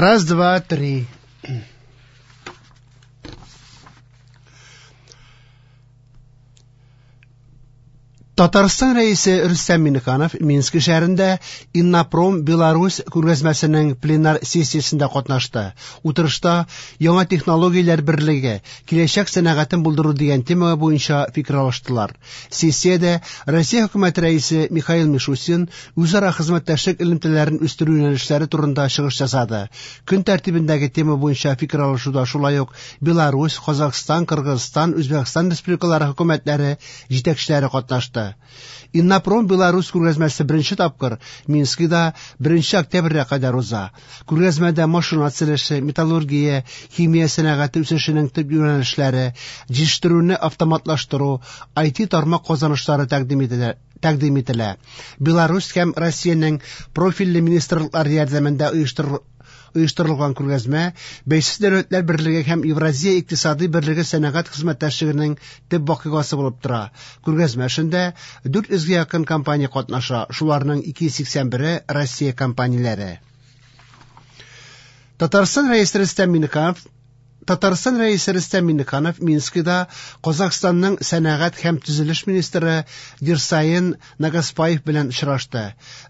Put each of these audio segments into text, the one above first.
Раз, два, три. Татарстан Рәисе Рөстәм Миңнеханов Минск шәһәрендә Иннопром Беларусь күргәзмәсенең пленар сессиясендә катнашты. Утырышта яңа технологияләр берлеге, киләчәк сәнәгатен булдыру дигән тема буенча фикер алыштылар. Сессиядә Россия хөкүмәте рәисе Михаил Мишустин үзара хезмәттәшлек элемтәләрен үстерү юнәлешләре турында чыгыш ясады. Көн тәртибендәге тема буенча фикер алышуда шулай ук Беларусь, Казахстан, Кыргызстан, Үзбәкстан республикалары хөкүмәтләре җитәкчеләре катнашты. Иннопром Беларусь күргәзмәсе беренче тапкыр Минскида 1 октябрьгә кадәр уза. Күргәзмәдә машина төзелеше, металлургия, химия сәнәгате үсешенең төп юнәлешләре, җитештерүне автоматлаштыру, IT тармак казанышлары тәкъдим ителә. Тәкъдим ителә. Беларусь һәм Россиянең профильле министрлыклары ярдәмендә оештырылган күргәзмә Бәйсез Дәүләтләр Берлеге һәм Евразия икътисади берлеге сәнәгать хезмәттәшлегенең төп вакыйгасы булып тора. Күргәзмә эшендә 400 гә якын компания катнаша, шуларның 281-е Россия компанияләре. Татарстан Рәисе Рөстәм Миңнеханов Татарстан Рәисе Рөстәм Миңнеханов Минскида Казахстанның сәнәгать һәм төзелеш министры Дирсаин Нагаспаев белән очрашты.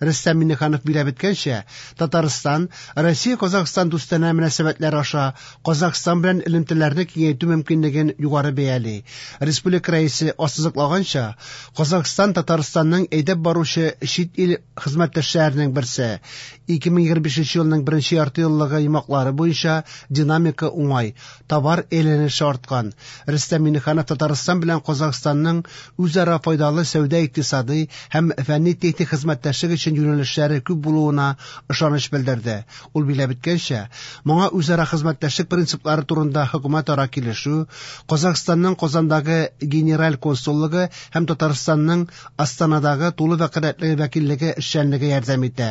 Рөстәм Миңнеханов билгеләп үткәнчә, Татарстан Россия-Казахстан дустанә мөнәсәбәтләре аша Казахстан белән элемтәләрне киңәйтү мөмкинлеген югары бәяли. Республика Рәисе ассызыклаганча, Казахстан Татарстанның әйдәп баручы чит ил хезмәттәшләренең берсе. 2025 елның беренче яртыеллыгы йомгаклары буенча динамика уңай, товар әйләнеше арткан. Рөстәм Миңнеханов Татарстан белән Казахстанның үзара файдалы сәүдә-икътисадый һәм фәнни-техник хезмәттәшлек өчен юнәлешләре күп булуына ышаныч белдерде. Ул билгеләп үткәнчә, моңа үзара хезмәттәшлек принциплары турында хөкүмәтара килешү, Казахстанның Казандагы генераль консуллыгы һәм Татарстанның Астанадагы тулы вәкаләтле вәкиллеге эшчәнлеге ярдәм итә.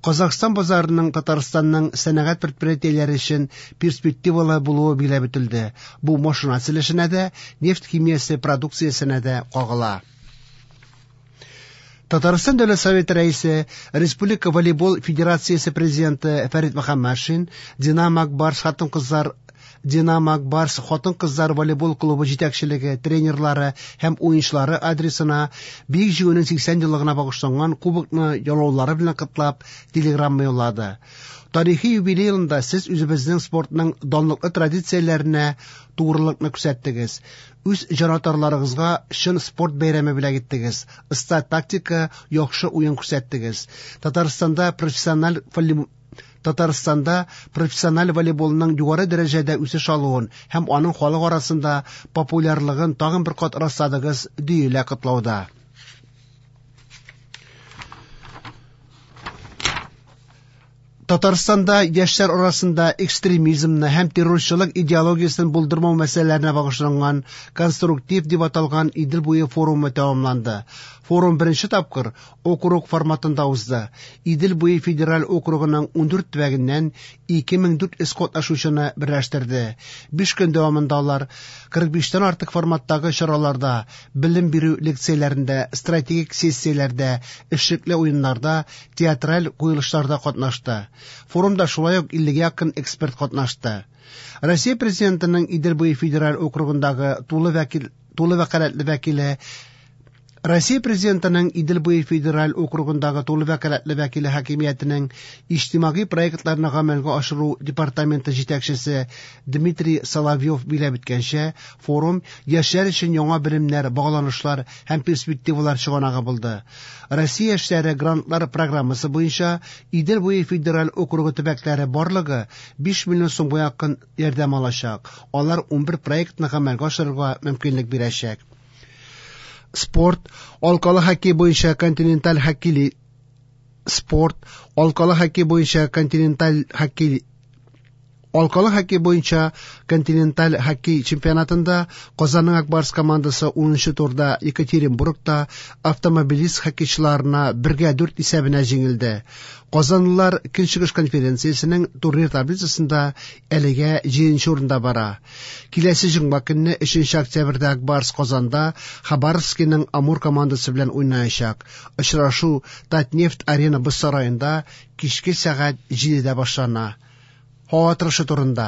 Казахстан базарының Татарстанның сәнәгать предприятиеләре өчен перспективалы булуы билгеләп үтелде. Бу машина төзелешенә дә, нефть химиясе продукциясенә дә кагыла. Татарстан Дәүләт Советы рәисе, Республика волейбол федерациясе президенты Фәрит Мөхәммәтшин Динамо Ак Барс хатын-кызлар Динамо Ак Барс хатын-кызлар волейбол клубы җитәкчелеге, тренерлары һәм уенчылары адресына Бөек Җиңүнең 80 еллыгына багышланган кубокны яулаулары белән котлап, телеграмма юллады. Тарихи юбилей елында сез үзебезнең спортның данлыклы традицияләренә тугрылыкны күрсәттегез. Үз җанатарларыгызга чын спорт бәйрәме бүләк иттегез. Оста тактика, яхшы уен күрсәттегез. Татарстанда профессиональ Татарстанда профессиональ волейболның югары дәрәҗәдә үсеш алуын һәм аның халык арасында популярлыгын тагын бер кат расладыгыз, диелә котлауда. Татарстанда яшьләр арасында экстремизмны һәм террорчылык идеологиясен булдырмау мәсьәләләренә багышланган конструктив дип аталган Идел буе форумы тәмамланды. Форум беренче тапкыр округ форматында узды. Идел буе федераль округының 14 төбәгеннән 2400 катнашучыны берләштерде. 5 көн дәвамында алар 45тән артык форматтагы чараларда, белем бирү лекцияләрендә, стратегик сессияләрдә, эшлекле уеннарда, театраль куелышларда катнашты. Форумда шулай ук 50 якын эксперт катнашты. Россия Президентының Идел буе федераль округындагы тулы вәкил тулы вәкаләтле вәкиле Россия Президентының Идел буе федераль округындагы тулы вәкаләтле вәкиле хакимиятенең иҗтимагый проектларны гамәлгә ашыру департаменты җитәкчесе Дмитрий Соловьев билгеләп үткәнчә, форум яшьләр өчен яңа белемнәр, багланышлар һәм перспективалар чыганагы булды. Россия яшьләре грантлар программасы буенча Идел буе федераль округы төбәкләре барлыгы 5 миллион сумга якын ярдәм алачак. Алар 11 проектны гамәлгә ашырырга мөмкинлек бирәчәк. Спорт, алкалы хоккей буенча континенталь хоккей спорт, алкалы хоккей буенча континенталь хоккей Алкалы хоккей буенча континенталь хоккей чемпионатында Казанның Ак Барс командасы 10 турда Екатеринбургта автомобилист хоккейчыларына 1-4 исәбенә җиңелде. Казанлылар Көнчыгыш конференциясенең турнир таблицасында әлегә 7 урында бара. Киләсе җомга көнне 3 октябрьдә Ак Барс Казанда Хабаровскиның Амур командасы белән уйнаячак. Очрашу Татнефть Арена боз сараенда кичке сәгать 7дә башлана. Һава торышы турында.